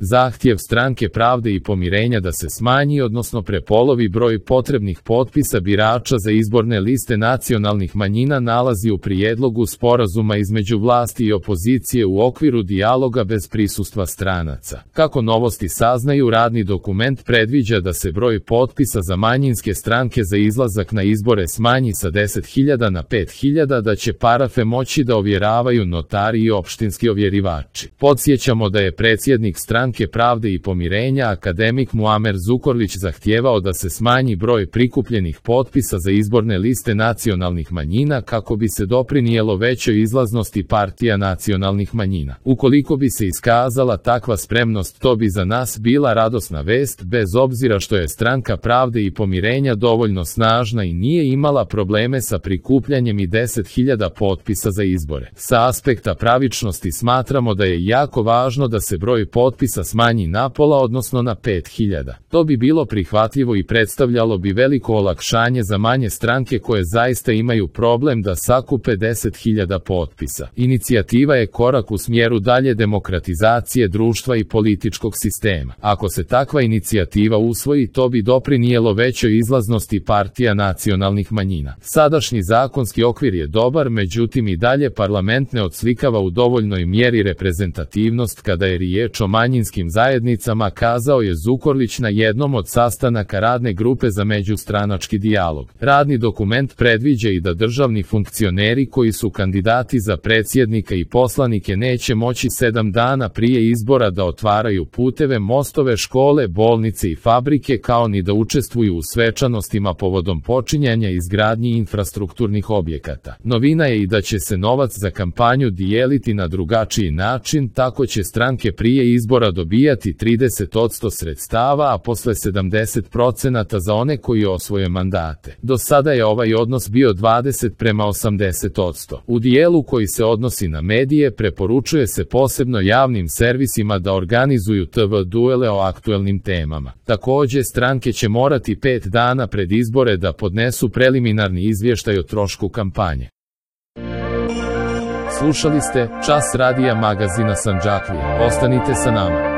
Zahtjev Stranke pravde i pomirenja da se smanji, odnosno prepolovi broj potrebnih potpisa birača za izborne liste nacionalnih manjina nalazi u prijedlogu sporazuma između vlasti i opozicije u okviru dijaloga bez prisustva stranaca. Kako Novosti saznaju, radni dokument predviđa da se broj potpisa za manjinske stranke za izlazak na izbore smanji sa 10.000 na 5.000, da će parafe moći da ovjeravaju notari i opštinski ovjerivači. Podsjećamo da je predsjednik Stranke pravde i pomirenja akademik Muamer Zukorlić zahtijevao da se smanji broj prikupljenih potpisa za izborne liste nacionalnih manjina kako bi se doprinijelo većoj izlaznosti partija nacionalnih manjina. Ukoliko bi se iskazala takva spremnost, to bi za nas bila radosna vest, bez obzira što je Stranka pravde i pomirenja dovoljno snažna i nije imala probleme sa prikupljanjem i 10.000 potpisa za izbore. Sa aspekta pravičnosti smatramo da je jako važno da se broj potpisa smanji na pola, odnosno na 5.000. To bi bilo prihvatljivo i predstavljalo bi veliko olakšanje za manje stranke koje zaista imaju problem da sakupe 10.000 potpisa. Inicijativa je korak u smjeru dalje demokratizacije društva i političkog sistema. Ako se takva inicijativa usvoji, to bi doprinijelo većoj izlaznosti partija nacionalnih manjina. Sadašnji zakonski okvir je dobar, međutim i dalje parlament ne odslikava u dovoljnoj mjeri reprezentativnost kada je riječ o manjinskim zajednicama, kazao je Zukorlić na jednom od sastanaka radne grupe za međustranački dijalog. Radni dokument predviđa i da državni funkcioneri koji su kandidati za predsjednika i poslanike neće moći 7 dana prije izbora da otvaraju puteve, mostove, škole, bolnice i fabrike, kao ni da učestvuju u svečanostima povodom počinjanja izgradnji infrastrukturnih objekata. Novina je i da će se novac za kampanju dijeliti na drugačiji način, tako će stranke prije izbora dobijati 30% sredstava, a posle 70% za one koji osvoje mandate. Do sada je ovaj odnos bio 20:80%. U dijelu koji se odnosi na medije preporučuje se posebno javnim servisima da organizuju TV duele o aktuelnim temama. Također, stranke će morati 5 dana pred izbore da podnesu preliminarni izvještaj o trošku kampanje. Slušali ste Čas radija magazina Sandžaklija. Ostanite sa nama.